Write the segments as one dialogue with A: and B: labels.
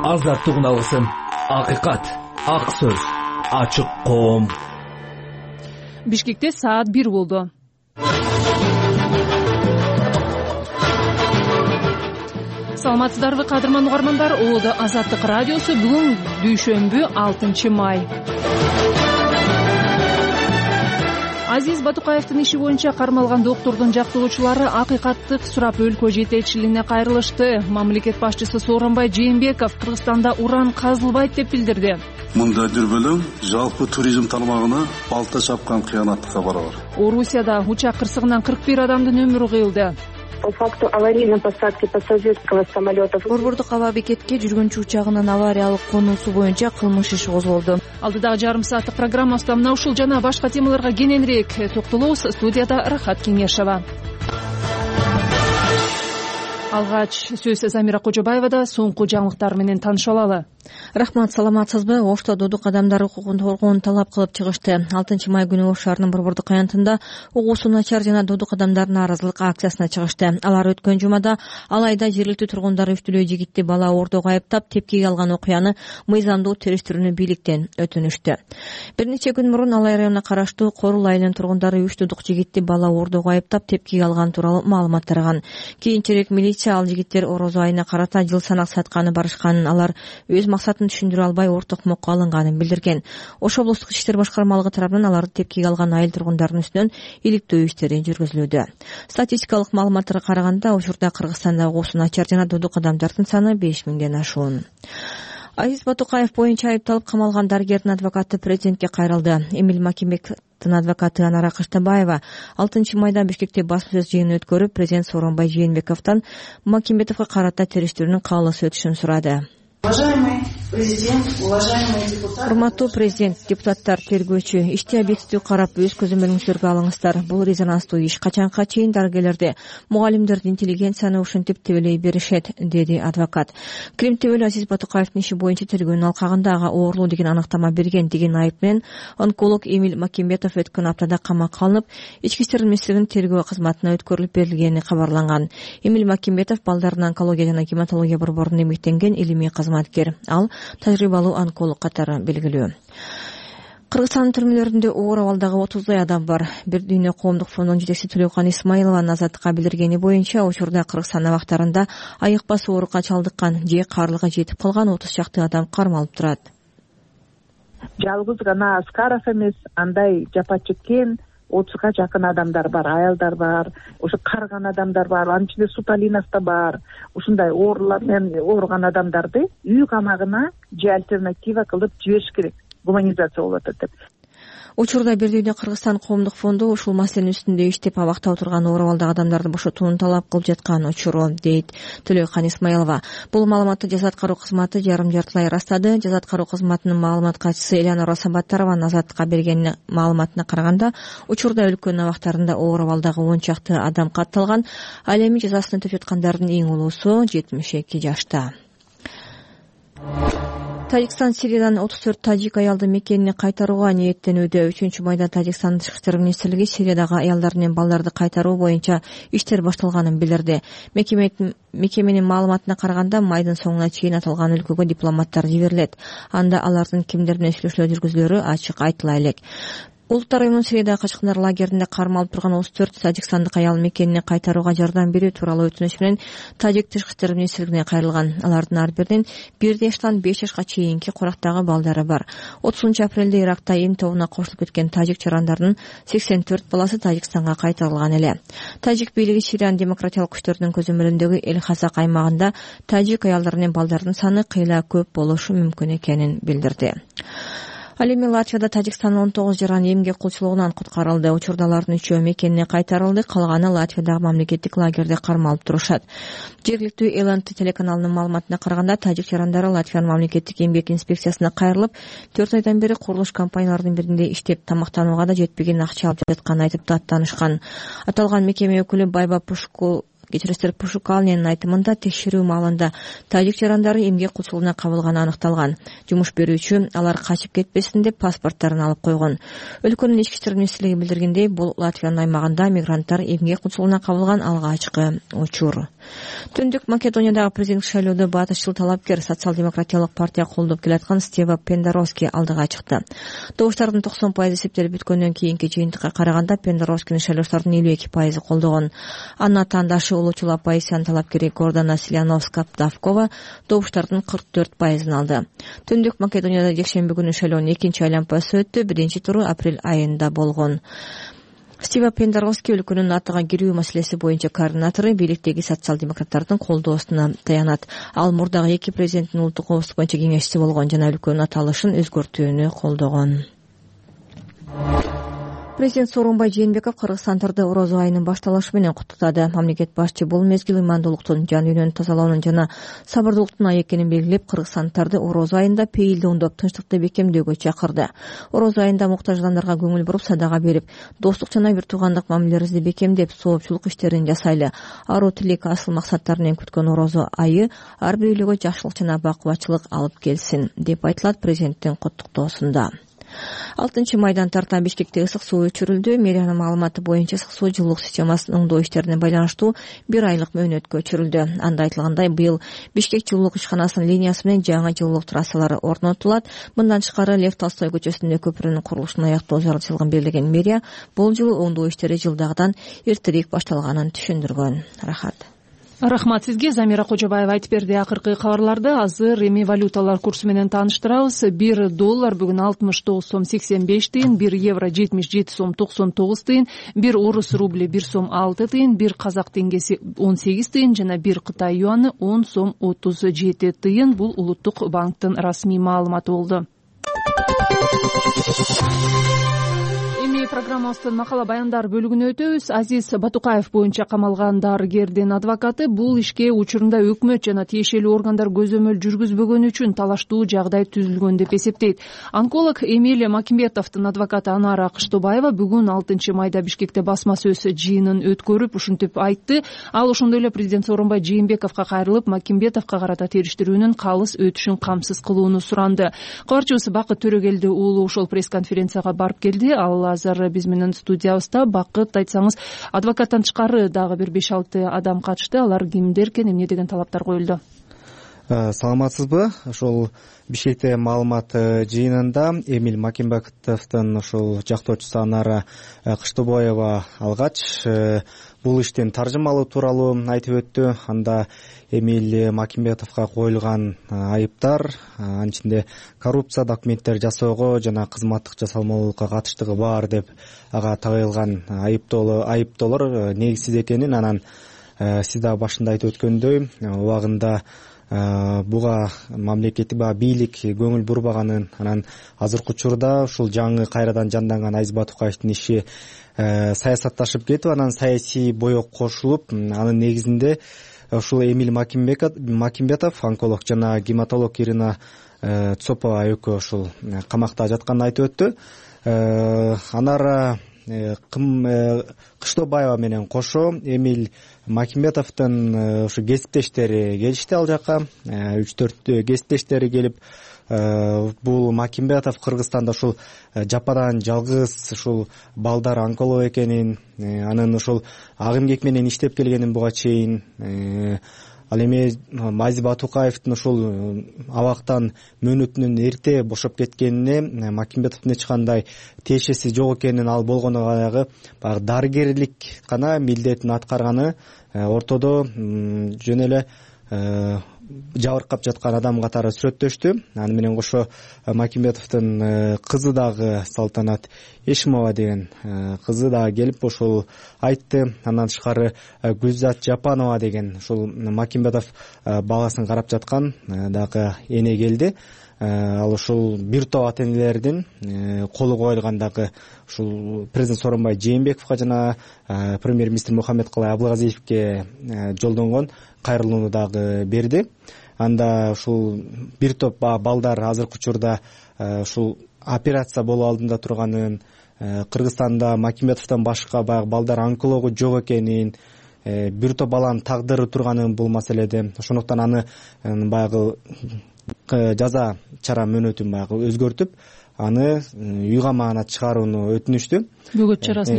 A: азаттык үналысын. Акыйкат, ак сөз, ачык коом.
B: Бишкекте саат 1 болду. Саламатсыздарбы кадырман угармандар? Оодо Азаттык радиосу. Бүгүн дүйшөмбү 6 май. Азиз Батукаевдин иши боюнча кармалган доктурдун жактоочулары акыйкаттык сурап өлкө жетекчилигине кайрылышты. Мамлекет башчысы Сооронбай Жээнбеков Кыргызстанда уран казылбайт деп билдирди.
C: Мында дүрбөлөң жалпы туризм тармагына балта чапкан кыянаттыкка барабар.
B: Орусияда учак кырсыгынан 41 адамдын өмүрү кыйылды.
D: По факту аварийной посадки пассажирского самолета
E: Борбордук аба бекетке жүргүнчү учагынын авариялык конуусу боюнча кылмыш иши козголду.
B: Алдыдагы жарым сааттык программабызда мына ушул жана башка темаларга кененирээк токтолобуз. Студияда Рахат Кеңешова. Алгач сөз Замира Кожобаевада. Соңку жаңылыктар менен таанышып алалы.
E: Рахмат, саламатсызбы? Ошто додук адамдар укугун коргоону талап кылып чыгышты. 6 май күнү Ош шаарынын борбордук аянтында угуусу начар жана додук адамдар нааразылык акциясына чыгышты. Алар өткөн жумада Алайда жергиликтүү тургундар үчтөлөө жигитти бала оордоого айыптап тепкиге алган окуяны мыйзамдуу териштирүүнү бийликтен өтүнүштү. Бир нече күн мурун Алай районуна караштуу Корул айылынын тургундары үч додук жигитти бала оордоого айыптап тепкиге алган тууралуу маалымат тараган. Кийинчерээк милиция ал жигиттер орозо айына карата жыл санак сатканы барышканын, алар өз максатын түшүндүрө албай орток мокко алынганын билдирген. Ош облустук иштер башкармалыгы тарабынан аларды тепкиге алган айыл тургундарынын үстүнөн иликтөө иштери жүргүзүлүүдө. Статистикалык маалыматтарга караганда учурда Кыргызстанда угуусу начар жана додук адамдардын саны 5000ден ашуун. Азиз Батукаев боюнча айыпталып камалган дарыгердин адвокаты президентке кайрылды. Эмил Макимбетовдун адвокаты Анара Кыштабаева 6 майда Бишкекте басма сөз жыйынын өткөрүп, президент Сооронбай Жээнбековдон Макимбетовго карата териштирүүнүн каалоосу өтүшүн сурады.
F: Уважаемый президент, уважаемые депутаты.
E: Урматтуу президент, депутаттар, тергөөчү, ишти объективдүү карап өз көзөмөлүңүздөргө алыңыздар. Бул резонанстуу иш качанга чейин дарыгерлерди, мугалимдерди интеллигенцияны ушинтип тебелей беришет, деди адвокат. Крим тебелүү Азиз Батукаевдин иши боюнча тергөөнүн алкагында ага оорлоо деген аныктама берген деген айып менен онколог Эмил Макимбетов өткөн аптада камакка алынып, ички иштер министрлигинин тергөө кызматына өткөрүлүп берилгени кабарланган. Эмил Макимбетов балдардын онкология жана гематология борборунда эмгектенген илимий кызматкер. Ал тажрыйбалуу онколог катары белгилүү. Кыргызстандын түрмөлөрүндө оор абалдагы 30 адам бар. Бир дүйнө коомдук фондунун жетекчиси Төлөкан Исмаилованын Азаттыкка билдиргени боюнча, учурда Кыргызстан абактарында айыкпас оорукка чалдыккан же каарылыгы жетип калган 30 чакты адам кармалып турат.
G: Жалгыз гана Аскаров эмес, андай жапа чеккен 30га жакын адамдар бар, аялдар бар, ошо карыган адамдар бар, анын ичинде Суталинов да бар. Ушундай оорулар менен ооруган адамдарды үй камагына же альтернатива кылып жибериш керек. Гуманизация болуп атат деп.
E: Учурда Бир дүйнө Кыргызстан коомдук фонду ушул маселенин үстүндө иштеп, абакта отурган оор абалдагы адамдарды бошотууну талап кылып жаткан учуру, дейт Төлөкан Исмаилова. Бул маалыматты жаза аткаруу кызматы жарым-жартылай ырастады. Жаза аткаруу кызматынын маалымат катчысы Элянора Сабаттарованын Азаттыкка берген маалыматына караганда, учурда өлкөнүн абактарында оор абалдагы 10 чакты адам катталган. Ал эми жазасын өтөп жаткандардын эң улуусу 72 жашта. Тажикстан Сириядан 34 тажик аялды мекенине кайтарууга ниеттенүүдө. 3 майда Тажикстан Тышкы иштер министрлиги Сириядагы аялдар менен балдарды кайтаруу боюнча иштер башталганын билдирди. Мекеменин маалыматына караганда, майдын соңуна чейин аталган өлкөгө дипломаттар жиберилет. Анда алардын кимдер менен сүйлөшүүлөр жүргүзүлөрү ачык айтыла элек. Улуттар уюмунун Сириядагы качкындар лагеринде кармалып турган 34 тажикстандык аял мекенине кайтарууга жардам берүү тууралуу өтүнүч менен Тажик Тышкы иштер министрлигине кайрылган. Алардын ар биринин 1 жаштан 5 жашка чейинки курактагы балдары бар. 30 апрелде Иракта эм тобуна кошулуп кеткен тажик жарандардын 84 баласы Тажикстанга кайтарылган эле. Тажик бийлиги Сириянын демократиялык күчтөрүнүн көзөмөлүндөгү Эл-Хасак аймагында тажик аялдары менен балдардын саны кыйла көп болушу мүмкүн экенин билдирди. Ал эми Латвияда Тажикстандын 19 жаран эмгек кулчулугунан куткарылды. Учурда алардын 3-өө мекенине кайтарылды, калганы Латвиядагы мамлекеттик лагерде кармалып турушат. Жергиликтүү ЛНТ телеканалынын маалыматына караганда, тажик жарандары Латвиянын мамлекеттик эмгек инспекциясына кайрылып, 4 айдан бери курулуш компанияларынын биринде иштеп, тамактанууга да жетпеген акча алып жатканын айтып даттанышкан. Аталган мекеме өкүлү Байба Кечиристер Пушукалнинин айтымында текшерүү маалында тажик жарандары эмгек кулчулугуна кабылганы аныкталган. Жумуш берүүчү алар качып кетпесин деп паспорттарын алып койгон. Өлкөнүн ички иштер министрлиги билдиргендей, бул Латвиянын аймагында мигранттар эмгек кулчулугуна кабылган алгачкы учур. Түндүк Македониядагы президенттик шайлоодо батышчыл талапкер социал-демократиялык партия колдоп келаткан Стева Пендаровски алдыга чыкты. Добуштардын 90% эсептелип бүткөндөн кийинки жыйынтыкка караганда Пендаровскинин шайлоочулардын 52% колдогон. Анын атаандашы улуучул оппозициянын талапкери Гордана Силановска-Давкова добуштардын 44% алды. Түндүк Македонияда жекшемби күнү шайлоонун экинчи айлампасы өттү. Биринчи туру апрель айында болгон. Стева Пендаровски өлкөнүн атыга кирүү маселеси боюнча координатору бийликтеги социал-демократтардын колдоосуна таянат. Ал мурдагы эки президенттин улуттук коопсуздук боюнча кеңешчиси болгон жана өлкөнүн аталышын өзгөртүүнү колдогон. Президент Сооронбай Жээнбеков кыргызстандарды орозо айынын башталышы менен куттуктады. Мамлекет башчы бул мезгил ыймандуулуктун, жан дүйнөнү тазалоонун жана сабырдуулуктун айы экенин белгилеп, кыргызстанддарды орозо айында пейилди оңдоп, тынчтыкты бекемдөөгө чакырды. Орозо айында муктаж адамдарга көңүл буруп, садака берип, достук жана бир туугандык мамилелерибизди бекемдеп, соопчулук иштерин жасайлы. Аруу тилек, асыл максаттар менен күткөн орозо айы ар бир үйлөгө жакшылык жана бакубатчылык алып келсин, деп айтылат президенттин куттуктоосунда. 6-майдан тарта Бишкекте ысык суу өчүрүлдү. Мэриянын маалыматы боюнча ысык суу жылуулук системасынын оңдоо иштерине байланыштуу 1 айлык мөөнөткө өчүрүлдү. Анда айтылгандай, быйыл Бишкек жылуулук ишканасынын линиясы менен жаңы жылуулук трассалары орнотулат. Мындан тышкары Лев Толстой көчөсүндө көпүрөнүн курулушун аяктоо зарылчылыгын белгилеген мэрия бул жылы оңдоо иштери жылдагыдан эртерээк башталганын түшүндүргөн.
B: Рахмат сизге. Замира Кожобаева айтып берди. Акыркы кабарларды азыр эми валюталар курсу менен тааныштырабыз. $1 бүгүн 69 сом 85 тыйын, 1 евро 77 сом 99 тыйын, 1 орус рубли 1 сом 6 тыйын, 1 казак теңгеси 18 тыйын жана 1 Кытай юаны 10 сом 37 тыйын. Бул улуттук банктын расмий маалыматы болду. Программабыздын макала баяндар бөлүгүнө өтөбүз. Азиз Батукаев боюнча камалган дарыгердин адвокаты бул ишке учурунда өкмөт жана тиешелүү органдар көзөмөл жүргүзбөгөнү үчүн талаштуу жагдай түзүлгөн деп эсептейт. Онколог Эмилия Макимбетовдун адвокаты Анара Кыштыбаева бүгүн 6-майда Бишкекте басма сөз жыйынын өткөрүп, ушинтип айтты. Ал ошондой эле президент Сооронбай Жээнбековго кайрылып, Макимбетовго карата териштирүүнүн калыс өтүшүн камсыз кылууну суранды. Кабарчыбыз Бакыт Төрөгелди уулу ошол пресс-конференцияга барып келди. Ал азыр биз менен студиябызда. Бакыт, айтсаңыз, адвокаттан тышкары дагы бир 5-6 адам катышты. Алар кимдер экен, эмне деген талаптар коюлду?
H: Саламатсызбы? Ошол Бишкекте маалымат жыйынында Эмиль Макимбетовдун ошол жактоочусу Анара Кыштыбаева алгач бул иштин таржымалоо тууралуу айтып өттү. Анда Эмиль Макимбетовго коюлган айыптар анын ичинде коррупция, документтер жасоого жана кызматтык жасалмалуулукка катыштыгы бар деп ага тагылган айыптоолор негизсиз экенин, анан сиз да башында айтып өткөндөй убагында буга мамлекеттик бийлик көңүл бурбаганын, анан азыркы учурда ушул жаңы кайрадан жанданган Азиз Батукаевдин иши саясатташып кетип, анан саясий боек кошулуп, анын негизинде ушул Эмиль Макимбетов, онколог жана гематолог Ирина Цопова экөө ушул камакта жатканын айтып өттү. Анара Кыштыбаева менен кошо Эмиль Макимбетовдун ушу кесиптештери келишти ал жака. 3-4 кесиптештери келип, бул Макимбетов Кыргызстанда ушул жападан жалгыз ушул балдар онколог экенин, анын ушул ак эмгек менен иштеп келгенин буга чейин, ал эми Азиз Батукаевдин ушул абактан мөөнөтүнөн эрте бошоп кеткенине Макимбетовдун эч кандай тиешеси жок экенин, ал болгону баягы дарыгерлик гана милдетин аткарганы, ортодо жөн эле жабыркап жаткан адам катары сүрөттөштү. Аны менен кошо Макимбетовдун кызы дагы Салтанат Эшимова деген кызы дагы келип ошол айтты. Андан тышкары Гүлзат Жапанова деген ушул Макимбетов баласын карап жаткан дагы эне келди. Ал ушул бир топ ата энелердин колу коюлган дагы ушул президент Сооронбай Жээнбековго жана премьер-министр Мухаммедкалай Абылгазиевке жолдонгон кайрылууну дагы берди. Анда ушул бир топ балдар азыркы учурда ушул операция болуу алдында турганын, Кыргызстанда Макимбетовдон башка баягы балдар онкологу жок экенин, бир топ баланын тагдыры турганы бул маселеде. Ошондуктан аны баягы жаза чара мөөнөтүн баягы өзгөртүп, аны үй камагына чыгарууну өтүнүштү. Бөгөт чарасын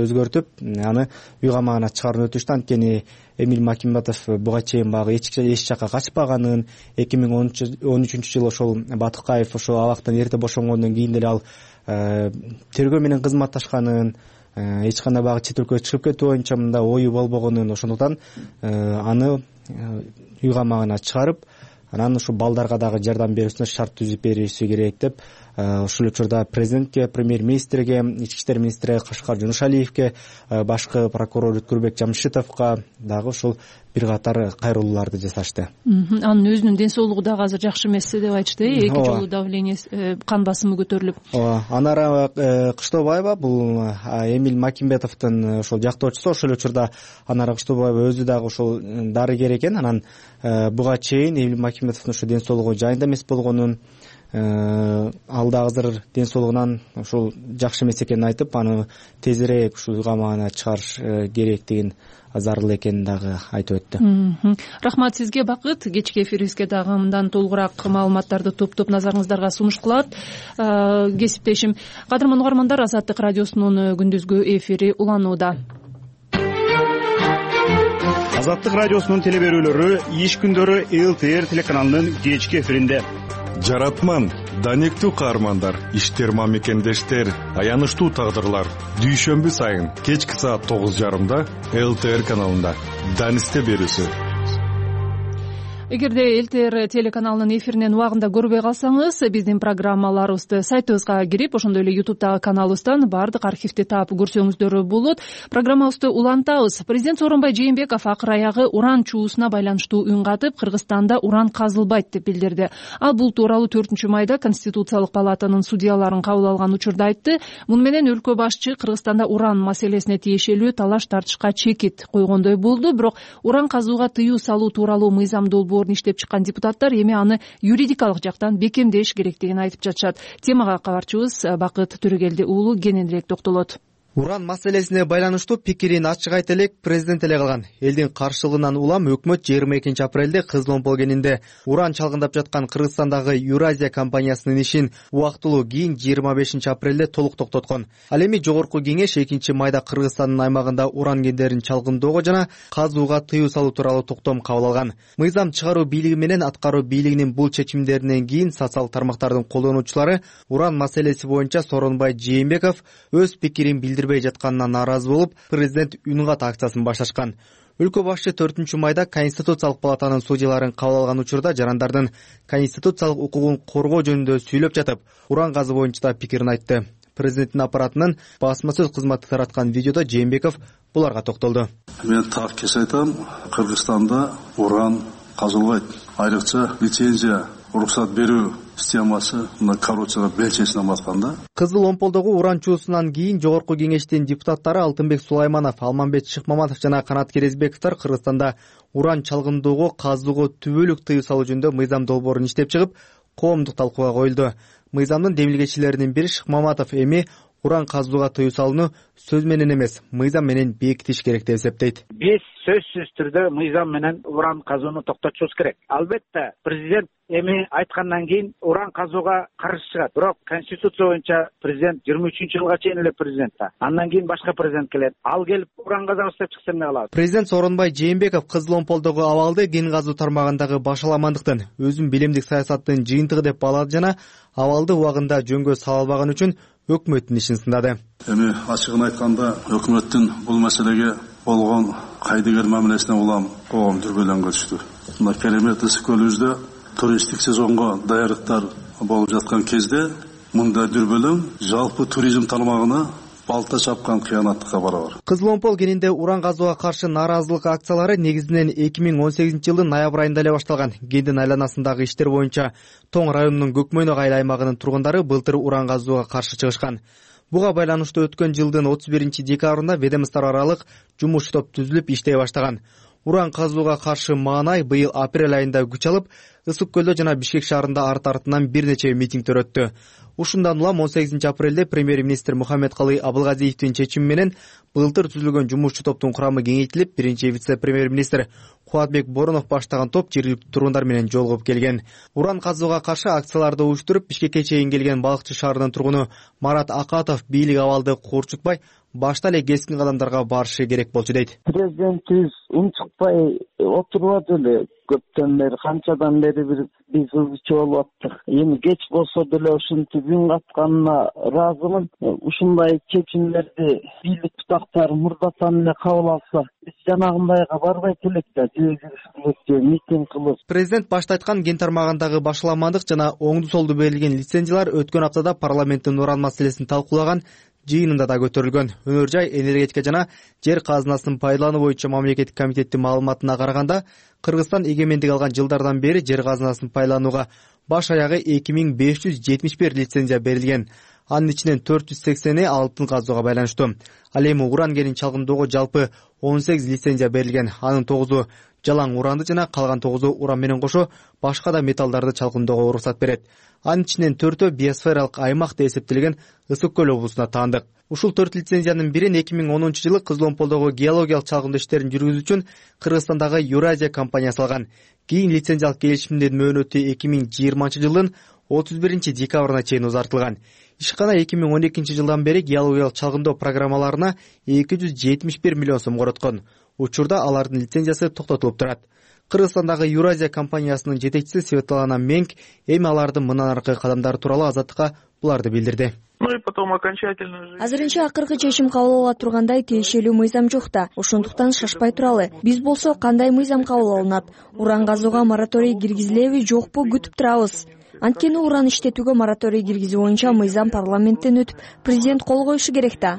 H: өзгөртүп, аны үй камагына чыгарууну өтүнүштү. Анткени Эмиль Макимбетов буга чейин баягы эч жакка качпаганын, 2013-жылы ошол Батыкаев ошол абактан эрте бошонгондон кийин деле ал тергөө менен кызматташканын, эч кандай баягы чет өлкөгө чыгып кетүү боюнча мындай ою болбогонун, ошондуктан аны үй камагына чыгарып, анан ушу балдарга дагы жардам берүүсүнө шарт түзүп бериши керек деп ушул учурда президентке, премьер-министрге, ички иштер министри Кашкар Жунушалиевке, башкы прокурор Өткүрбек Жамшитовго дагы ушул бир катар кайрылууларды жасашты.
B: Анын өзүнүн ден соолугу дагы азыр жакшы эмес деп айтышты. Эки жолу давление, кан басымы көтөрүлүп.
H: Анара Кыштобаева, бул Эмиль Макимбетовдун ошол жактоочусу, ошол учурда Анара Кыштобаева өзү дагы ошол дарыгер экен. Анан буга чейин Эмиль Макимбетовдун ошо ден соолугу жайында эмес болгонун, ал да азыр ден соолугунан ушул жакшы эмес экенин айтып, аны тезирээк ушул үй камагына чыгарыш керектигин, зарыл экенин дагы айтып өттү.
B: Рахмат сизге, Бакыт. Кечки эфирибизге дагы мындан толугураак маалыматтарды топтоп назарыңыздарга сунуш кылат кесиптешим. Кадырман угармандар, Азаттык радиосунун күндүзгү эфири уланууда.
I: Азаттык радиосунун теле берүүлөрү иш күндөрү ЛТР телеканалынын кечки эфиринде.
J: Жаратман, данектүү каармандар, иштер мамекендештер, аянычтуу тагдырлар. Дүйшөмбү сайын кечки саат 9:30 ЛТР каналында. Данисте берүүсү.
B: Эгерде ЛТР телеканалынын эфиринен убагында көрбөй калсаңыз, биздин программаларыбызды сайтыбызга кирип, ошондой эле YouTube'дагы каналыбыздан баардык архивди таап көрсөңүздөр болот. Программабызды улантабыз. Президент Сооронбай Жээнбеков акыр аягы уран чуусуна байланыштуу үн катып, Кыргызстанда уран казылбайт деп билдирди. Ал бул тууралуу 4-майда Конституциялык палатанын судьяларын кабыл алган учурда айтты. Муну менен өлкө башчы Кыргызстанда уран маселесине тиешелүү талаш тартышка чекит койгондой болду. Бирок уран казууга тыюу салуу тууралуу мыйзам долбоорун иштеп чыккан депутаттар эми аны юридикалык жактан бекемдеш керектигин айтып жатышат. Темага кабарчыбыз Бакыт Төрөгелди уулу кененирээк токтолот.
H: Уран маселесине байланыштуу пикирин ачык айта элек президент эле калган. Элдин каршылыгынан улам өкмөт 22 апрелде Кызыл Омпол кенинде уран чалгындап жаткан Кыргызстандагы Юразия компаниясынын ишин убактылуу кийин 25 апрелде толук токтоткон. Ал эми Жогорку кеңеш 2-майда Кыргызстандын аймагында уран кендерин чалгындоого жана казууга тыюу салуу тууралуу токтом кабыл алган. Мыйзам чыгаруу бийлиги менен аткаруу бийлигинин бул чечимдеринен кийин социалдык тармактардын колдонуучулары уран маселеси боюнча Сооронбай Жээнбеков өз пикирин билдирбей жатканына нааразы болуп, президент үн кат акциясын башташкан. Өлкө башчы 4-майда Конституциялык палатанын судьяларын кабыл алган учурда жарандардын конституциялык укугун коргоо жөнүндө сүйлөп жатып, уран газы боюнча да пикирин айтты. Президенттин аппаратынын басма сөз кызматы тараткан видеодо Жээнбеков буларга токтолду.
C: Мен так кес айтам, Кыргызстанда уран казылбайт. Айрыкча лицензия уруксат берүү системасы мына коррупцияга белчесинен батканда.
H: Кызыл Омполдогу уран чуусунан кийин Жогорку кеңештин депутаттары Алтынбек Сулайманов, Алмамбет Шыкмаматов жана Канат Керезбековдор Кыргызстанда уран чалгындоого, казууга түбөлүк тыюу салуу жөнүндө мыйзам долбоорун иштеп чыгып, коомдук талкууга коюлду. Мыйзамдын демилгечилеринин бири Шыкмаматов эми уран казууга тыюу салууну сөз менен эмес, мыйзам менен бекитиш керек деп эсептейт.
K: Биз сөзсүз түрдө мыйзам менен уран казууну токтотушубуз керек. Албетте президент эми айткандан кийин уран казууга каршы чыгат. Бирок Конституция боюнча президент 23-жылга чейин эле президент да. Андан кийин башка президент келет. Ал келип уран казабыз деп чыкса эмне кылабыз?
H: Президент Сооронбай Жээнбеков Кызыл Омполдогу абалды кен казуу тармагындагы башаламандыктын, өзүн билимдик саясаттын жыйынтыгы деп баалады жана абалды убагында жөнгө сала албаган үчүн өкмөттүн ишин сындады.
C: Эми ачыгын айтканда өкмөттүн бул маселеге болгон кайдыгер мамилесине улам коом дүрбөлөнгө түштү. Мына Керемет ысык көлүбүздө туристтик сезонго даярдыктар болуп жаткан кезде мындай дүрбөлөң жалпы туризм тармагына балта чапкан кыянаттыкка барабар.
H: Кызыл Омпол кенинде уран казууга каршы нааразылык акциялары негизинен 2018-жылдын ноябрь айында эле башталган. Кендин айланасындагы иштер боюнча Тоң районунун Көкмөйнөк айыл аймагынын тургундары былтыр уран казууга каршы чыгышкан. Буга байланыштуу өткөн жылдын 31 декабрында ведомство аралык жумуш топ түзүлүп иштей баштаган. Уран казууга каршы маанай быйыл апрель айында күч алып, Ысык көлдө жана Бишкек шаарында арт-артынан бир нече митингдер өттү. Ушундан улам 18 апрелде премьер-министр Мухаммедкалый Абылгазиевдин чечими менен былтыр түзүлгөн жумушчу топтун курамы кеңейтилип, биринчи вице-премьер-министр Кубатбек Боронов баштаган топ жергиликтүү тургундар менен жолугуп келген. Уран казууга каршы акцияларды уюштуруп, Бишкекке чейин келген Балыкчы шаарынын тургуну Марат Акатов бийлик абалды куурчутпай, башта эле кескин кадамдарга барышы керек болчу дейт.
L: Президентибиз унчукпай отурбады эле. Көптөн бери, канчадан бери биз ызычы болуп аттык. Эми кеч болсо деле ушинтип үн катканына ыраазымын. Ушундай чечимдерди бийлик бутактары мурдатан эле кабыл алса, биз жанагындайга барбайт элек да, митинг кылып.
H: Президент башта айткан кен тармагындагы башаламандык жана оңду солду берилген лицензиялар өткөн аптада парламенттин уран маселесин талкуулаган жыйынында да көтөрүлгөн. Өнөр жай, энергетика жана жер казынасын пайдалануу боюнча мамлекеттик комитеттин маалыматына караганда, Кыргызстан эгемендик алган жылдардан бери жер казынасын пайдаланууга баш аягы 2571 лицензия берилген. Анын ичинен 480 алтын казууга байланыштуу. Ал эми уран кенин чалгындоого жалпы 18 лицензия берилген. Анын 9-у жалаң уранды жана калган 9-у уран менен кошо башка да металлдарды чалгындоого уруксат берет. Анын ичинен 4-өө биосфералык аймак деп эсептелген Ысык көл облусуна таандык. Ушул 4 лицензиянын бирин 2010-жылы Кызыл Омполдогу геологиялык чалгындоо иштерин жүргүзүү үчүн Кыргызстандагы Юразия компаниясы алган. Кийин лицензиялык келишимдин мөөнөтү 2020-жылдын 31-декабрына чейин узартылган. Ишкана 2012 жылдан бери геологиялык чалгындоо программаларына 271 миллион сом короткон. Учурда алардын лицензиясы токтотулуп турат. Кыргызстандагы Юразия компаниясынын жетекчиси Светлана Менг эми алардын мындан аркы кадамдары тууралуу Азаттыкка буларды билдирди.
E: Азырынча акыркы чечим кабыл ала тургандай тиешелүү мыйзам жок да. Ошондуктан шашпай туралы. Биз болсо кандай мыйзам кабыл алынат? Уран казууга мораторий киргизилеби, жокпу күтүп турабыз. Анткени уран иштетүүгө мораторий киргизүү боюнча мыйзам парламенттен өтүп, президент кол коюшу керек да.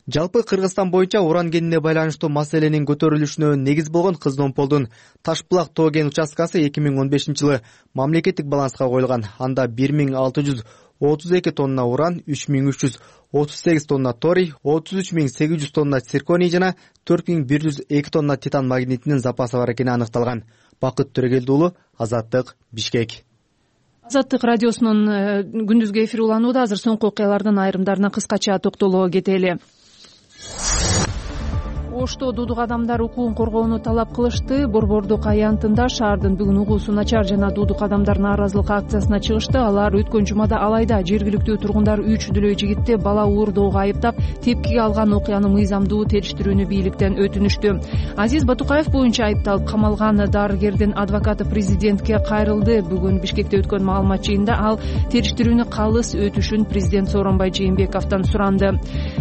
H: Жалпы Кыргызстан боюнча уран кенине байланыштуу маселенин көтөрүлүшүнө негиз болгон Кызыл Омполдун Ташбулак тоо кен участкасы 2015-жылы мамлекеттик баланска коюлган. Анда 1632 тонна уран, 3338 тонна торий, 33800 тонна цирконий жана 4102 тонна титан магнитинин запасы бар экени аныкталган. Бакыт Төрөгелди уулу, Азаттык, Бишкек.
B: Азаттык радиосунун күндүзгү эфири уланууда. Азыр соңку окуялардын айрымдарына кыскача токтоло кетели. Ошто дудук адамдар укугун коргоону талап кылышты. Борбордук аянтында шаардын бүгүн угуусу начар жана дудук адамдар нааразылык акциясына чыгышты. Алар өткөн жумада Алайда жергиликтүү тургундар 3 дүлөй жигитти бала уурдоого айыптап, тепкиге алган окуяны мыйзамдуу териштирүүнү бийликтен өтүнүштү. Азиз Батукаев боюнча айыпталып камалган дарыгердин адвокаты президентке кайрылды. Бүгүн Бишкекте өткөн маалымат жыйынында ал териштирүүнү калыс өтүшүн президент Сооронбай Жээнбековдон суранды.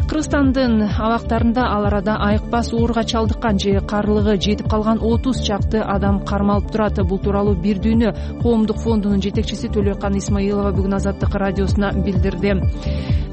B: Кыргызстандын абактарында ал арада айыкпас ооруга чалдыккан же карлыгы жетип калган 30 чакты адам кармалып турат. Бул тууралуу Бир дүйнө коомдук фондунун жетекчиси Төлөкан Исмаилова бүгүн Азаттык радиосуна билдирди.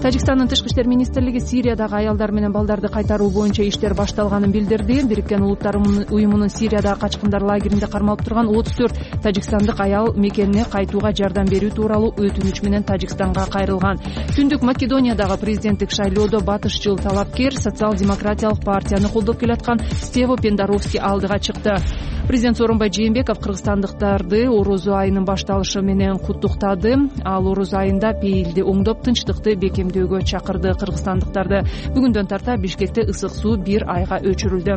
B: Тажикстандын тышкы иштер министрлиги Сириядагы аялдар менен балдарды кайтаруу боюнча иштер башталганын билдирди. Бириккен Улуттар уюмунун Сириядагы качкындар лагеринде кармалып турган 34 тажикстандык аял мекенине кайтууга жардам берүү тууралуу өтүнүч менен Тажикстанга кайрылган. Түндүк Македониядагы президенттик шайлоодо батышчыл талапкер социал-демократиялык партияны колдоп келаткан Стево Пендаровский алдыга чыкты. Президент Сооронбай Жээнбеков кыргызстандыктарды орозо айынын башталышы менен куттуктады. Ал орозо айында пейилди оңдоп, тынчтыкты бекемдөөгө чакырды. Кыргызстандыктарды бүгүндөн тарта Бишкекте ысык суу 1 айга өчүрүлдү.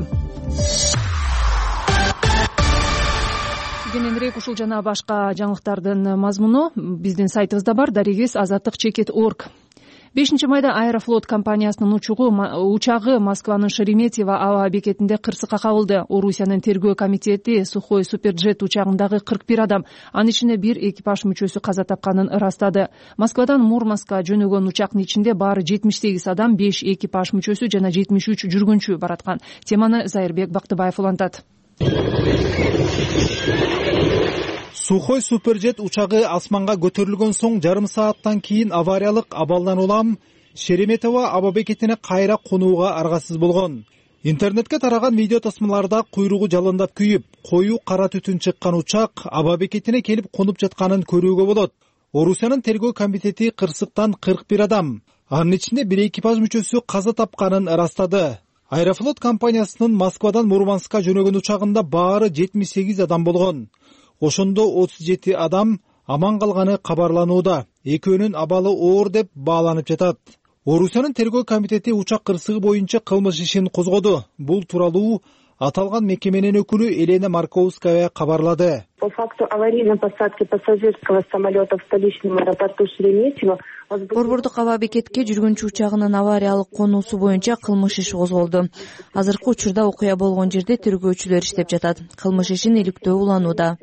B: Кененирээк ушул жана башка жаңылыктардын мазмуну биздин сайтыбызда бар. Дарегиз azattik.org. 5-майда Аэрофлот компаниясынын учагы Москванын Шереметьево аба бекетинде кырсыкка кабылды. Орусиянын тергөө комитети Сухой Суперджет учагындагы 41 адам, анын ичинде 1 экипаж мүчөсү каза тапканын ырастады. Москвадан Мурманска жөнөгөн учактын ичинде баары 78 адам, 5 экипаж мүчөсү жана 73 жүргүнчү бараткан. Теманы Зайырбек Бактыбаев улантат.
M: Сухой Суперджет учагы асманга көтөрүлгөн соң жарым сааттан кийин авариялык абалдан улам Шереметьево аба бекетине кайра конууга аргасыз болгон. Интернетке тараган видео тасмаларда куйругу жалындап күйүп, коюу кара түтүн чыккан учак аба бекетине келип конуп жатканын көрүүгө болот. Орусиянын тергөө комитети кырсыктан 41 адам, анын ичинде 1 экипаж мүчөсү каза тапканын ырастады. Аэрофлот компаниясынын Москвадан Мурманскка жөнөгөн учагында баары 78 адам болгон. Ошондо 37 адам аман калганы кабарланууда. Экөөнүн абалы оор деп бааланып жатат. Орусиянын тергөө комитети учак кырсыгы боюнча кылмыш ишин козгоду. Бул тууралуу аталган мекеменин өкүлү Елена Марковская кабарлады.
D: По факту аварийной посадки пассажирского самолета в столичном аэропорту Шереметьево
E: Борбордук аба бекетке жүргүнчү учагынын авариялык конуусу боюнча кылмыш иши козголду. Азыркы учурда окуя болгон жерде тергөөчүлөр иштеп жатат. Кылмыш ишин иликтөө уланууда.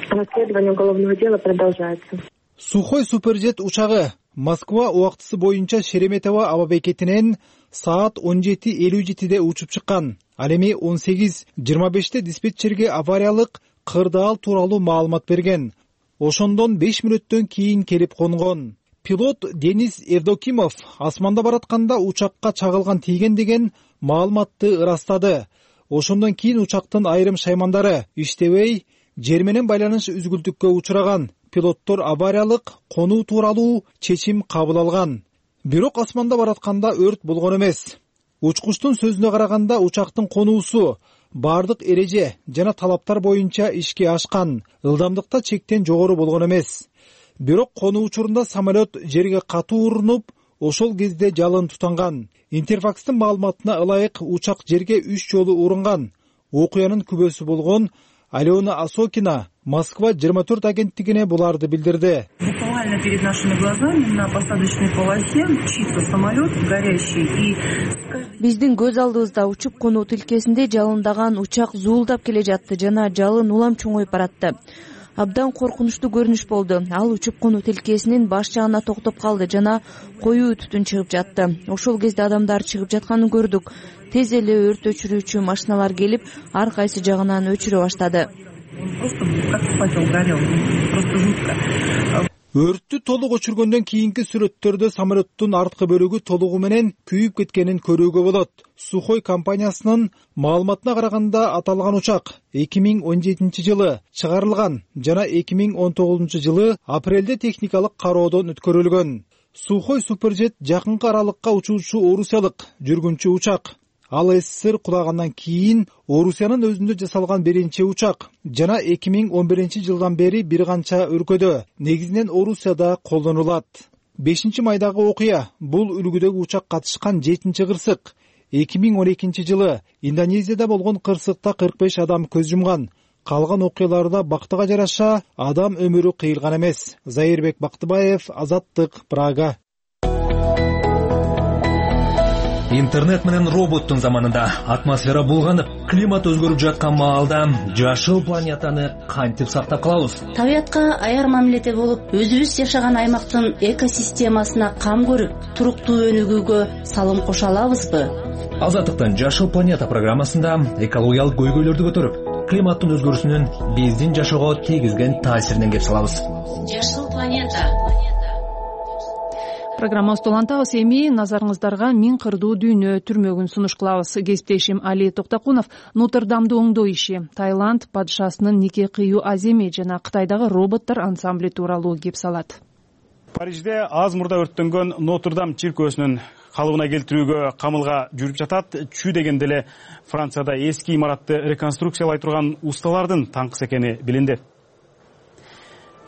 D: Расследование уголовного дела продолжается.
M: Сухой суперджет учагы Москва убактысы боюнча Шереметьево аба бекетинен саат 17:57 учуп чыккан. Ал эми 18:25 диспетчерге авариялык кырдаал тууралуу маалымат берген. Ошондон 5 мүнөттөн кийин келип конгон. Пилот Денис Евдокимов асманда баратканда учакка чагылган тийген деген маалыматты ырастады. Ошондон кийин учактын айрым шаймандары иштебей, жер менен байланыш үзгүлтүккө учураган. Пилоттор авариялык конуу тууралуу чечим кабыл алган. Бирок асманда баратканда өрт болгон эмес. Учкучтун сөзүнө караганда учактын конуусу бардык эреже жана талаптар боюнча ишке ашкан, ылдамдыкта чектен жогору болгон эмес. Бирок конуу учурунда самолет жерге катуу урунуп, ошол кезде жалын тутанган. Интерфакстын маалыматына ылайык учак жерге 3 жолу урунган. Окуянын күбөсү болгон Алена Осокина Москва 24 агенттигине буларды билдирди.
F: Буквально перед нашими глазами на посадочной полосе чисто самолет горящий и
E: Биздин көз алдыбызда учуп конуу тилкесинде жалындаган учак зуулдап келе жатты жана жалын улам чоңоюп баратты. Абдан коркунучтуу көрүнүш болду. Ал учуп конуу тилкесинин баш жагына токтоп калды жана коюу түтүн чыгып жатты. Ошол кезде адамдар чыгып жатканын көрдүк. Тез эле өрт өчүрүүчү машиналар келип, ар кайсы жагынан өчүрө баштады.
M: Өрттү толук өчүргөндөн кийинки сүрөттөрдө самолеттун арткы бөлүгү толугу менен күйүп кеткенин көрүүгө болот. Сухой компаниясынын маалыматына караганда аталган учак 2017 жылы чыгарылган жана 2019 жылы апрелде техникалык кароодон өткөрүлгөн. Сухой суперджет жакынкы аралыкка учуучу орусиялык жүргүнчү учак. Ал СССР кулагандан кийин Орусиянын өзүндө жасалган биринчи учак жана 2011 жылдан бери бир канча өлкөдө, негизинен Орусияда колдонулат. 5-майдагы окуя бул үлгүдөгү учак катышкан 7-кырсык. 2012 жылы Индонезияда болгон кырсыкта 45 адам көз жумган. Калган окуяларда бактыга жараша адам өмүрү кыйылган эмес. Заирбек Бактыбаев, Азаттык, Прага.
A: Интернет менен роботтун заманында атмосфера булганып, климат өзгөрүп жаткан маалда жашыл планетаны кантип сактап калабыз?
N: Табиятка аяр мамиледе болуп, өзүбүз жашаган аймактын экосистемасына кам көрүп, туруктуу өнүгүүгө салым кошо алабызбы?
A: Азаттыктын Жашыл планета программасында экологиялык көйгөйлөрдү көтөрүп, климаттын өзгөрүүсүнүн биздин жашоого тийгизген таасиринен кеп салабыз.
N: Жашыл планета.
B: Программабызды улантабыз. Эми назарыңыздарга Миң кырдуу дүйнө түрмөгүн сунуш кылабыз. Кесиптешим Али Токтокунов Нотр-Дамды оңдоо иши, Таиланд падышасынын нике кыюу аземи жана Кытайдагы роботтор ансамбли тууралуу кеп салат.
I: Парижде аз мурда өрттөнгөн Нотр-Дам чиркөөсүнүн калыбына келтирүүгө камылга жүрүп жатат. Чүй дегенде эле Францияда эски имаратты реконструкциялай турган усталардын таңкысы экени билинди.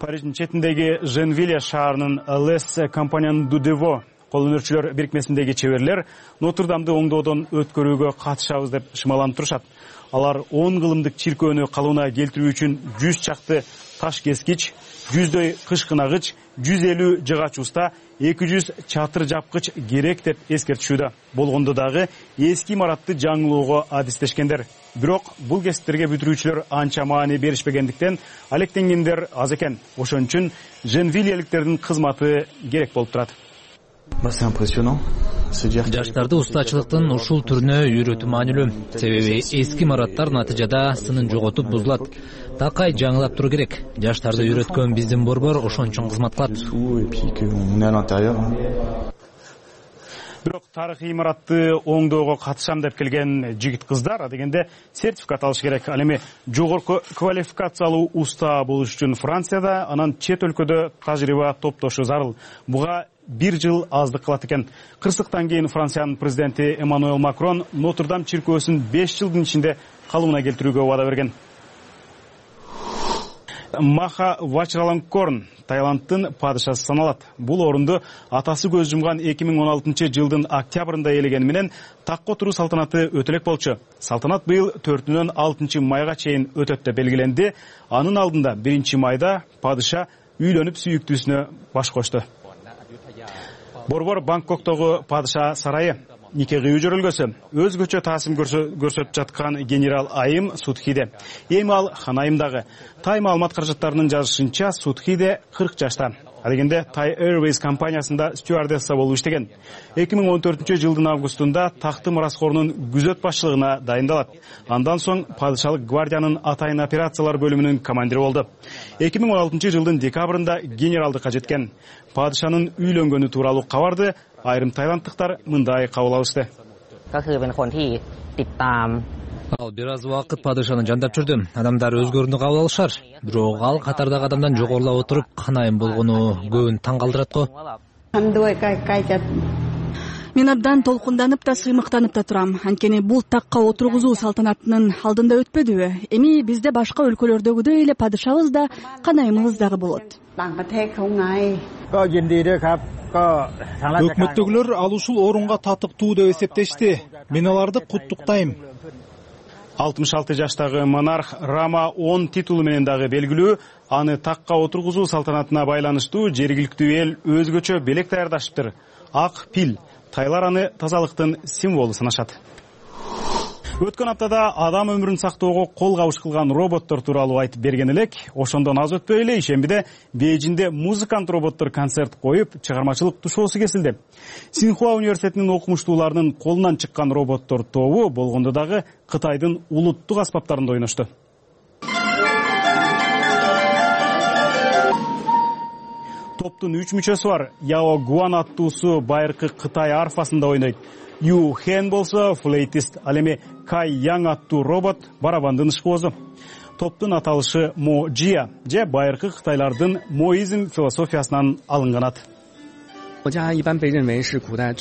I: Париждин четиндеги Женвиле шаарынын Лес компаниянын Дудево кол өнөрчүлөр бирикмесиндеги чеберлер Нотр-Дамды оңдоодон өткөрүүгө катышабыз деп шымаланып турушат. Алар 10 кылымдык чиркөөнү калыбына келтирүү үчүн 100 чакты таш кескич, 100дөй кышкынагыч, 150 жыгач уста, 200 чатыр жапкыч керек деп эскертишүүдө. Болгондо дагы эски имаратты жаңылоого адистешкендер. Бирок бул кесиптерге бүтүрүүчүлөр анча маани беришпегендиктен алектенгендер аз экен. Ошон үчүн Женвилеликтердин кызматы керек болуп турат.
A: Жаштарды устачылыктын ушул түрүнө үйрөтүү маанилүү. Себеби эски имараттар натыйжада сынын жоготуп бузулат. Такай жаңылап туруу керек. Жаштарды үйрөткөн биздин борбор ошон үчүн кызмат кылат.
I: Бирок тарыхый имаратты оңдоого катышам деп келген жигит кыздар дегенде сертификат алыш керек. Ал эми жогорку квалификациялуу уста болуш үчүн Францияда, анан чет өлкөдө тажрыйба топтошу зарыл. Буга 1 жыл аздык кылат экен. Кырсыктан кийин Франциянын президенти Эммануэл Макрон Нотр-Дам чиркөөсүн 5 жылдын ичинде калыбына келтирүүгө убада берген. Маха Вачиралонгкорн Таиландтын падышасы саналат. Бул орунду атасы көз жумган 2016 жылдын октябрында ээлегени менен такка отуруу салтанаты өтө элек болчу. Салтанат быйыл 4-нөн 6 майга чейин өтөт деп белгиленди. Анын алдында 1 майда падыша үйлөнүп сүйүктүүсүнө баш кошту. Борбор Бангкоктогу падыша сарайы нике кыюу жөрөлгөсү өзгөчө таасим көрсөтүп жаткан генерал Айым Судхиде. Эми ал Ханайымдагы. Тай маалымат каражаттарынын жазышынча Судхиде 40 жашта. Алегенде Thai Airways компаниясында стюардесса болуп иштеген. 2014 жылдын августунда такты мураскорунун күзөт башчылыгына дайындалат. Андан соң падышалык гвардиянын атайын операциялар бөлүмүнүн командири болду. 2016 жылдын декабрында генералдыкка жеткен. Падышанын үйлөнгөнү тууралуу кабарды айрым тайландтыктар мындай кабыл алышты.
A: Ал бир аз убакыт падышаны жандап жүрдү. Адамдар өзгөрүүнү кабыл алышар. Бирок ал катардагы адамдан жогорулап отуруп Ханайым болгону көбүн таң калтырат го.
O: Мен абдан толкунданып да сыймыктанып да турам. Анткени бул такка отургузуу салтанатынын алдында өтпөдүбү? Эми бизде башка өлкөлөрдөгүдөй эле падышабыз да, Канайымыбыз дагы болот.
M: Өкмөттөгүлөр ал ушул орунга татыктуу деп эсептешти. Мен аларды куттуктайм.
I: 66 жаштагы монарх Рама 10 титулу менен дагы белгилүү. Аны такка отургузуу салтанатына байланыштуу жергиликтүү эл өзгөчө белек даярдашыптыр. Ак пил. Тайлар аны тазалыктын символу санашат. Өткөн аптада адам өмүрүн сактоого кол кабыш кылган роботтор тууралуу айтып берген элек. Ошондон аз өтпөй эле ишембиде Бейжиңде музыкант роботтор концерт коюп, чыгармачылык тушоосу кесилди. Синхуа университетинин окумуштууларынын колунан чыккан роботтор тобу болгондо дагы Кытайдын улуттук аспаптарында ойношту. Топтун 3 мүчөсү бар. Яо Гуан аттуусу байыркы Кытай арфасында ойнойт. Ю Хэн болсо флейтист, ал эми Кай Яң аттуу робот барабандын ышкоозу. Топтун аталышы Мо Джия же байыркы кытайлардын моизм философиясынан алынган ат.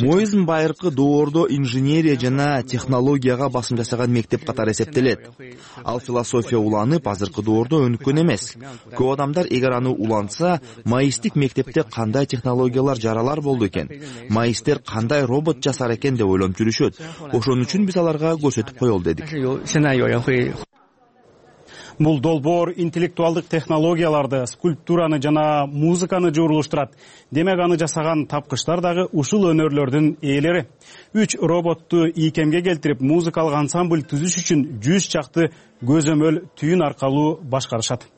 P: Моизм байыркы доордо инженерия жана технологияга басым жасаган мектеп катары эсептелет. Ал философия уланып, азыркы доордо өнүккөн эмес. Көп адамдар эгер аны уланса, маистик мектепте кандай технологиялар жаралар болду экен, маистер кандай робот жасар экен деп ойлонуп жүрүшөт. Ошон үчүн биз аларга көрсөтүп коелу дедик.
I: Бул долбоор интеллектуалдык технологияларды, скульптураны жана музыканы жуурулуштурат. Демек аны жасаган тапкычтар дагы ушул өнөрлөрдүн ээлери. 3 роботту ийкемге келтирип, музыкалык ансамбль түзүш үчүн 100 чакты көзөмөл түйүн аркылуу башкарышат.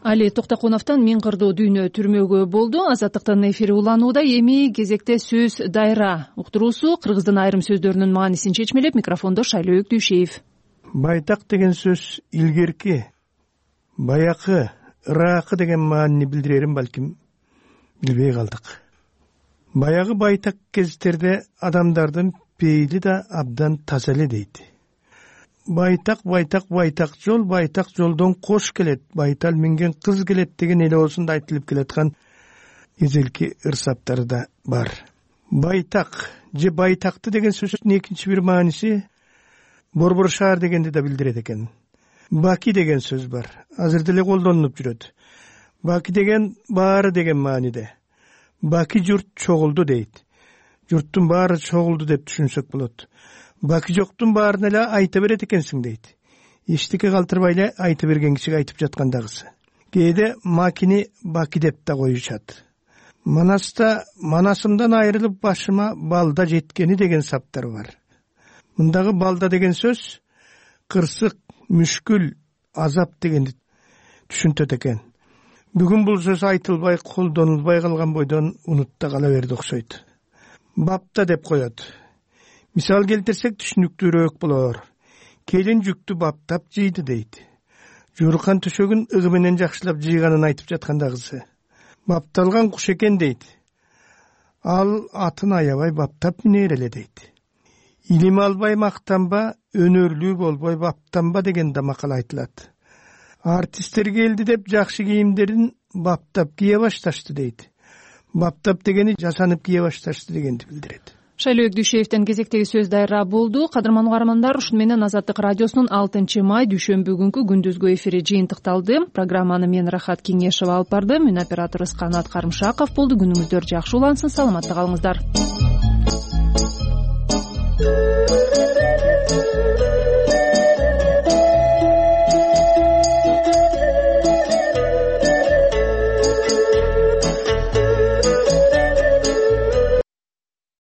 B: Али Токтокуновдон миң кырдуу дүйнө түрмөгө болду. Азаттыктын эфири уланууда. Эми кезекте сөз дайра. Уктуруусу кыргыздын айрым сөздөрүнүн маанисин чечмелеп, микрофондо Шайлообек Дүйшеев.
Q: Байтак деген сөз илгерки, баякы, ыракы деген маанини билдирерин балким билбей калдык. Баягы байтак кездерде адамдардын пейили да абдан таза эле дейт. Байтак жол, байтак жолдон кош келет, байтал минген кыз келет деген эле осунда айтылып келаткан эзелки ырсаптары да бар. Байтак же байтакты деген сөздүн экинчи бир мааниси борбор шаар дегенди да билдирет экен. Баки деген сөз бар. Азыр деле колдонулуп жүрөт. Баки деген баары деген мааниде. Баки журт чогулду дейт. Журттун баары чогулду деп түшүнсөк болот. Баки жоктун баарын эле айта берет экенсиң дейт. Эчтеке калтырбай эле айта берген кишиге айтып жаткандагысы. Кээде макини баки деп да коюшат. Манаста манасымдан айрылып башыма балда жеткени деген саптар бар. Мындагы балда деген сөз кырсык, мүшкүл, азап дегенди түшүнтөт экен. Бүгүн бул сөз айтылбай, колдонулбай калган бойдон унутта кала берди окшойт. Бапта деп коет. Мисал келтирсек түшүнүктүүрөөк болор. Келин жүктү баптап жийди дейт. Жууркан төшөгүн ыгы менен жакшылап жыйганын айтып жаткандагысы. Бапталган куш экен дейт. Ал атын аябай баптап минер эле дейт. Илим албай мактанба, өнөрлүү болбой баптанба деген да макал айтылат. Артистер келди деп жакшы кийимдерин баптап кие башташты дейт. Баптап дегени жасанып кие башташты дегенди билдирет.
B: Шайлообек Дүйшеевден кезектеги сөз дайра болду. Кадырман угармандар, ушуну менен Азаттык радиосунун 6 май дүйшөмбү күнкү күндүзгү эфири жыйынтыкталды. Программаны мен Рахат Кеңешова алып бардым. Мен операторубуз Канат Карымшаков болду. Күнүңүздөр жакшы улансын, саламатта калыңыздар.